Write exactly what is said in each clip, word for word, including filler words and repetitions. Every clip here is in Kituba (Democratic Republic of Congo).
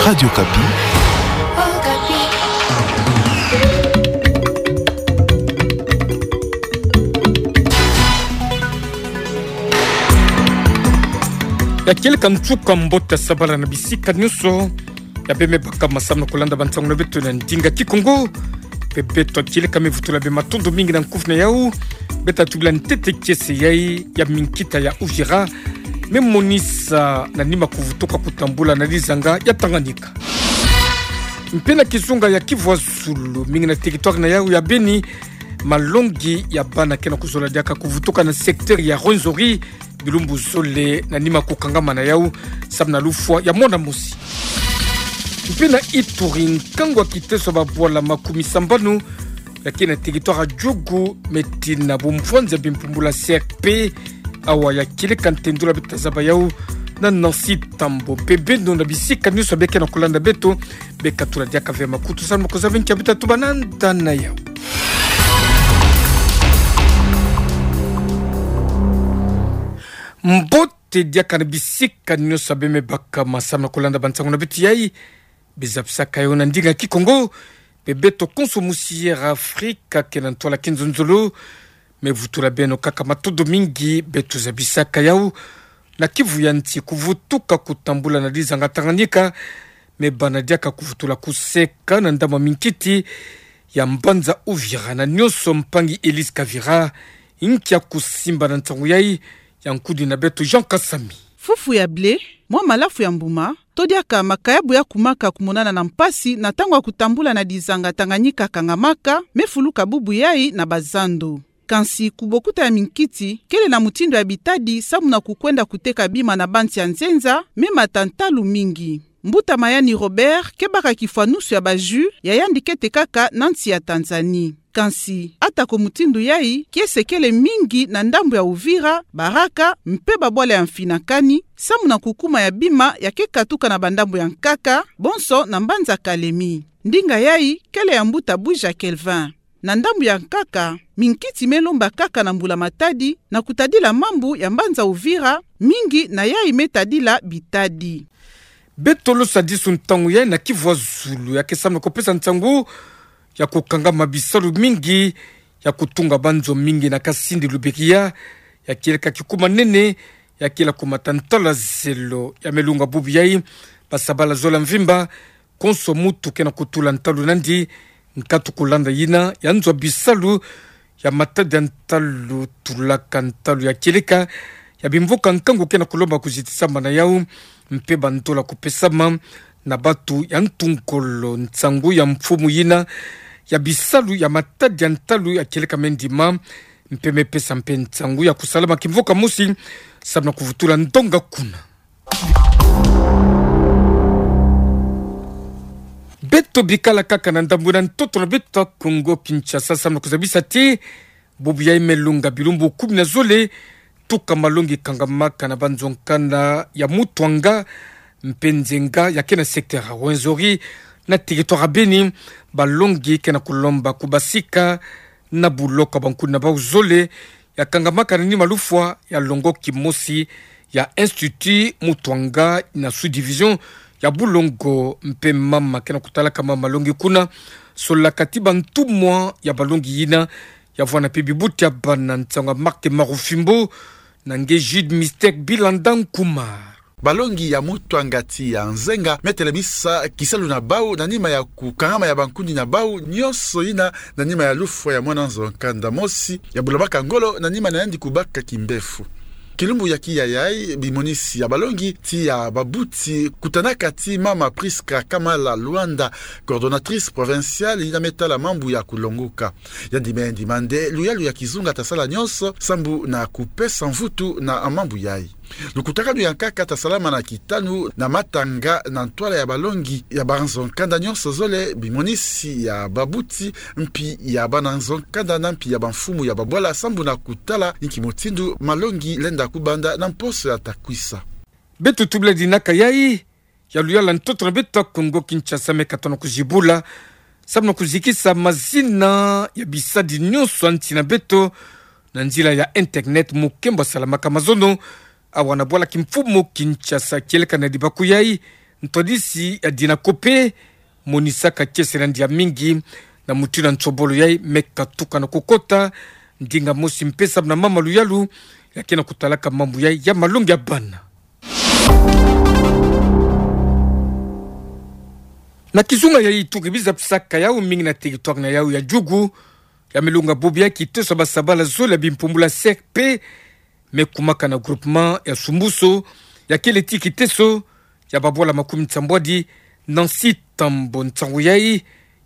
Radio Okapi. Ya kieleka nsuka mbote sabala na bisika nyonso ya bemebaka masambu na kulanda bansangu na beto na ndinga Kikongo. Mpe beto kieleka me vutula bie matondo mingi na nkufi na yau. Beto tubila ntete kiese yai ya minkita ya Uvira me monisa na nima kuvutuka kutambula na lizanga ya Tanganyika. Mpe na kizunga ya Kivu ya Zulu, mingi na territoire na yau ya Beni, malongi ya bana ke na kuzola diaka kuvutuka na secteur ya Rwenzori, bilumbu zole na nima kukangama na yau, samu na lufwa ya mwana mosi. Mpe na Ituri, nkangu ya kiteso ya babwala makumi sambanu ya ke na territoire ya Djugu me tina bumvwanzi ya bimpumbulu ya C R P, awa ya kieleka ntendula. Beto tazaba yau na Nancy Tambo. Mpe beno na bisika nyonso bie ke na kulanda beto, bie katula diaka ve makutu samu na kuzaba nki ya beto tatuba na nda na yau. Mbote diaka na bisika nyonso bemebaka masambu na kulanda bansangu na beto yai. Bie zabisaka yau na ndinga Kikongo. Mpe beto konso musi Air Afrique ke na ntwala kinzonzolo me vutula beno kaka matondo mingi. Beto zabisaka yau na Kivu ya Nsi, kuvutuka kutambula na lizanga Tanganyika me bana diaka kuvutula kuseka na ndambu ya minkiti ya mbanza Uvira. Na nyonso mpangi Elise Kavira, nki ya kusimba na nsangu yai ya nkudi na beto Jean Kasami. Fufu ya blé, mwa malafu ya mbuma, to diaka makayabu ya kumaka kumonana na mpasi na ntangu ya kutambula na lizanga Tanganyika kangamaka, me fuluka bubu yai na bazando. Kansi kubokuta ya minkiti kele na mutindu ya bitadi samu na kukwenda kuteka bima na bansi ya nzenza, me mata ntalu mingi. Mbuta Mayani Robert ke baka kifwanusu ya ba jus ya yandi kete kaka na nsi ya Tanzanie. Kansi, atako mutindu yai, kiese kele mingi na ndambu ya Uvira, Baraka, mpe babwala ya Mfinakani, samu na kukuma ya bima ya ke katuka na bandambu ya nkaka, bonso na mbanza Kalemi. Ndinga yai kele ya mbuta Buja Kelvin. Na ndambu ya nkaka, minkiti me lomba kaka na Mbula Matadi, na kutadila mambu ya mbanza Uvira, mingi na yai me tadila bitadi. Beto losadisu ntangu yai na Kivu ya Zulu, ya ke samu na kupesa nsangu ya kukangama bisalu mingi ya kutunga banzo mingi na Kasindi Lubiriha, ya kieleka kikuma nene, ya kieleka kumata ntalu ya zelo. Ya me lunga bubu yai, basabala zola mvimba, konso mutu ke na kutula ntalu nandi, nkatu kulanda yina ya nzo ya bisalu, ya matadi ya ntalu, tulaka ntalu ya kieleka, ya bimvuka nkangu ke na kulomba kuzitisama na yau, mpe bandola kupesama na batu ya ntu ngolo. Nsangu ya mfumu yina ya bisalu ya matadi ya ntalu ya kieleka me ndima, mpe me pesa mpe nsangu ya kusalama kimvuka mosi, samu na kuvutula ndonga kuna. Beto bikala kaka na ndambu na ntoto na beto ya Kongo Kinshasa, samu na kuzabisa ti bubu yai me lunga bilumbu kumi na zole, tuka malongi kangamaka na banzo nkanda ya Mutwanga mpe Nzenga, ya ke na secteur ya Rwenzori, na territoire ya Beni, balongi ke na kulomba kubasika na buloko ya bankuni na bau zole, ya kangamaka na nima lufwa ya longo kimosi ya Institut Mutwanga na sous-division ya Bulongo. Mpe mama ke na kutalaka mama malongi kuna, solaka ti bantumwa ya balongi yina, ya vwanda mpe bibuti ya bana. Nsangu ya Marc Marufimbo, na nge Jude Mystère Bilanda Nkumar. Balongi ya Mutwanga tii ya Nzenga me telemisa kisalu na bau na nima ya kukangama ya bankuni na bau nyonso yina na nima ya lufwa ya mwana nzo nkanda mosi ya bulamaka ngolo na nima na yandi kubaka kimbefu. Kilumbu ya kiya yai, bimonisi ya balongi tii ya babuti kutanaka ti mama Prisca Kamala Luanda, coordonnatrice provinciale yina me tala mambu ya kulongoka. Yandi me ndima nde luyalu ya kizunga ta sala nyonso sambu na kupesa mvutu na mambu yai. Lukutakanu ya nkaka ta salama na kitanu na matanga na ntwala ya balongi ya banzo nkanda nyonso zole, bimonisi ya babuti, mpi ya bana nzo nkanda na mpi ya bamfumu ya babwala, sambu na kutala inki mutindu malongi lenda kubanda na mposo ya ta kwisa. Beto tubila dinaka yai ya luyala ntoto na beto ya Kongo Kinshasa me katono kuzibula, samu na kuzikisa mazina ya bisadi nyonso ya nsi na beto na nzila ya internet mu nkembo ya salamaka mazono, awa na bwala kimfumu Kinshasa. Kieleka na dibaku yai, Ntwadisi ya Dinacope, monisaka kiese na ndiamingi na mutindu ya nsobolo yai, me katuka na kukota ndinga mosi mpe samu na mama luyalu ya ke na kutalaka mambu yai ya malongi ya bana. Na kizunga yai tuki biza pisaka yau mingi na territoire na yau ya Djugu, ya me lunga bubu ya kiteso ya basabala zole ya bimpumbulu ya C R P, me kumaka na groupement ya Sumbuso, ya kele ti kiteso ya babwala makumi nsambwadi. Nancy Tambo, nsangu yai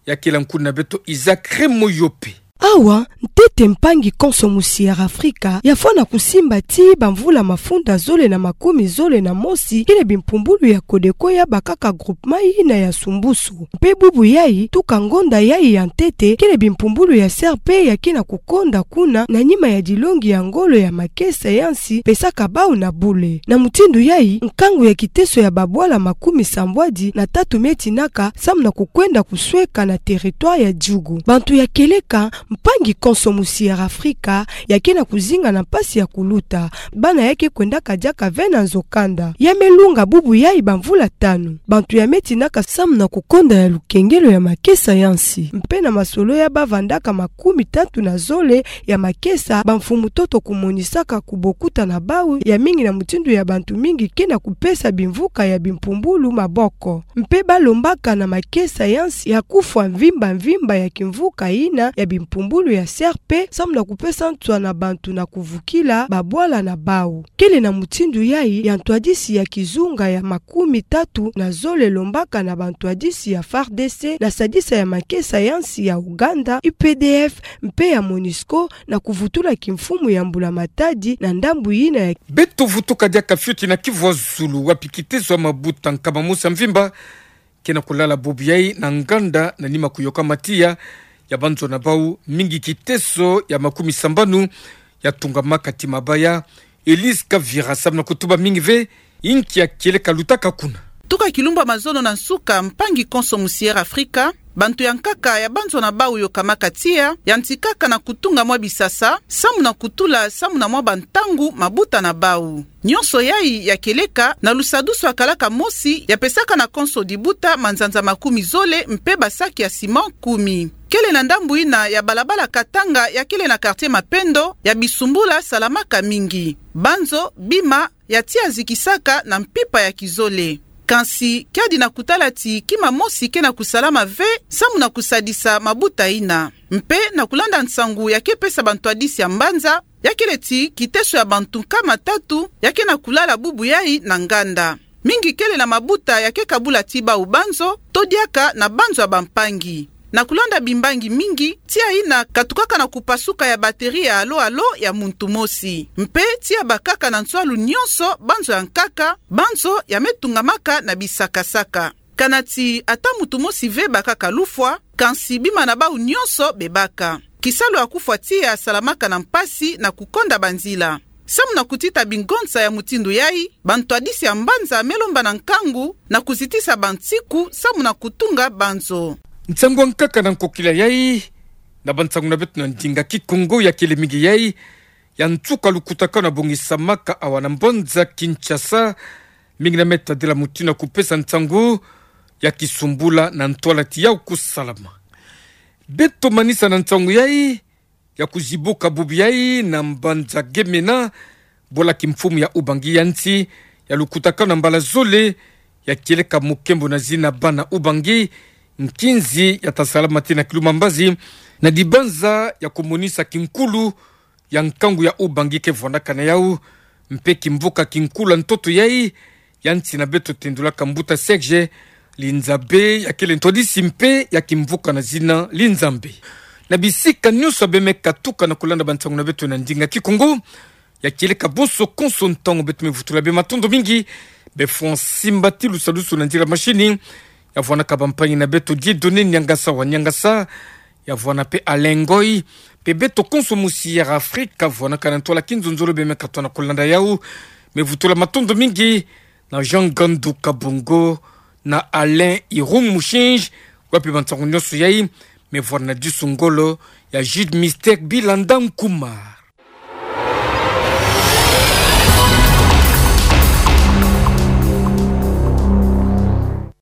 ya kele nkulu na beto Isaac Remoyope. Awa, ntete mpangi konso mu Sierra Africa, ya fwana kusimba ti bamvula mafunda zole na makumi zole na mosi, kele bimpumbulu ya Codeco ya bakaka groupement yina ya Sumbuso. Mpe bubu yai, tuka ngonda yai ya ntete, kele bimpumbulu ya C R P ya ke na kukonda kuna, na nima ya dilongi ya ngolo ya makesa ya nsi, pesaka bau na bule. Na mutindu yai, nkangu ya kiteso ya babwala makumi sambwadi na tatu me tinaka, samu na kukwenda kusweka na territoire ya Djugu. Bantu ya kieleka, mpangi konso mu Sierra Africa, ya ke na kuzinga na mpasi ya kuluta. Bana ya ke kwendaka diaka ve na nzo kanda. Ya me lunga bubu yai bamvula tanu. Bantu ya me tinaka samu na kukonda ya lukengelo ya makesa ya nsi. Mpe na masolo ya bavandaka makumi tatu na zole ya makesa, bamfumu ntoto kumonisaka kubokuta na bau ya mingi na mutindu ya bantu mingi ke na kupesa bimvuka ya bimpumbulu maboko. Mpe balombaka na makesa ya nsi ya kufwa mvimba mvimba ya kimvuka yina ya bimpumbulu ya C R P, samu na kupesa nswa na bantu na kuvukila babwala na bau. Kele na mutindu yai ya ntwadisi ya kizunga ya makumi tatu na zole elombaka na bantwadisi ya F A R D C na sadisa ya makesa ya nsi ya Ouganda, U P D F, mpe ya MONUSCO, na kuvutula kimfumu ya Mbula Matadi na ndambu yina ya. Beto vutuka diaka fioti na Kivu ya Zulu, wapi kiteso ya mabuta nkama mosi ya mvimba ke na kulala bubu yai na nganda, na nima kuyoka matiya ya banzo na bau, mingi kiteso ya makumi sambanu ya tungamaka ti mabaya. Elise Kavira, samu na kutuba mingi ve inki ya kieleka lutaka kuna. Tuka kilumbu ya mazono na nsuka, mpangi konso mu Sierra Africa, bantu ya nkaka ya banzo na bau yokamaka tiya, yantikaka na kutunga mwa bisasa, samu na kutula, samu na mwa bantangu mabuta na bau. Nyonso yai ya kieleka na lusadusu ya kalaka mosi ya pesaka na konso dibuta manzanza makumi zole mpe basaki ya ciment kumi. Kele na ndambu yina ya balabala Katanga ya kele na quartier Mapendo ya bisumbula salamaka mingi. Banzo, bima, ya tiya zikisaka na mpimpa ya kizole. Kansi, kiadi na kutala ti kima mosi ke na kusalama ve, samu na kusadisa mabuta yina. Mpe, na kulanda nsangu ya ke pesa bantwadisi ya mbanza, ya kele ti kiteso ya bantu nkama tatu ya ke na kulala bubu yai na nganda. Mingi kele na mabuta ya ke kabula ti bau banzo, to diaka na banzo ya bampangi. Na kulanda bimbangi mingi, tiya yina katukaka na kupasuka ya batterie ya alo-alo ya muntu mosi. Mpe tiya bakaka na nswalu nyonso banzo ya nkaka, banzo ya me tungamaka na bisakasaka. Kana ti ata muntu mosi ve bakaka lufwa, kansi bima na bau nyonso bebaka. Kisalu ya kufwa tiya salamaka na mpasi na kukonda banzila. Samu na kutita bingonsa ya mutindu yai, bantwadisi ya mbanza me lomba na nkangu na kuzitisa bansiku samu na kutunga banzo. Nsangu ya nkaka na nkokila yai, na bansangu na beto na ndinga Kikongo ya kele mingi yai, ya nsuka lukutakanu ya bongisamaka awa na mbanza Kinshasa, mingi na me tadila mutindu ya kupesa nsangu ya kisumbula na ntwala ti yau kusalama. Beto manisa na nsangu yai, ya kuzibuka bubu yai na mbanza Gemena, bola kimfumu ya Ubangi ya nsi, ya lukutakanu na mbala zole, ya kieleka mukembo na zina bana Ubangi, nkinzi ya ta salama ti na kiluma mbazi, na dibanza ya kumonisa kinkulu ya nkangu ya Ubangi ke vwandaka na yau, mpe kimvuka kinkulu ya ntoto yai, ya nsi na beto tendulaka mbuta Serge Linzabe, ya kele ntwadisi mpe ya kimvuka na zina Linzambe. Na bisika nyonso bie me katuka na kulanda bansangu na beto na ndinga Kikongo, ya kieleka bonso konso ntangu beto me vutula bie matondo mingi, bie fwa nsimba ti lusadusu na nzila mashini, ya vwanaka bampangi na beto Dieudonné Niangasa wa Niangasa, ya vwana mpe Alain Ngoy, mpe beto konso mu Sierra Africa, vwanaka na ntwala kinzonzolo bie me katwa na kulanda yau, me vutula matondo mingi na Jean Gandu Kabongo, na Alain Irung Mushinji, wapi bansangu nyonso yai me vwana na disu ngolo ya Jude Mystère Bilanda Nkumà.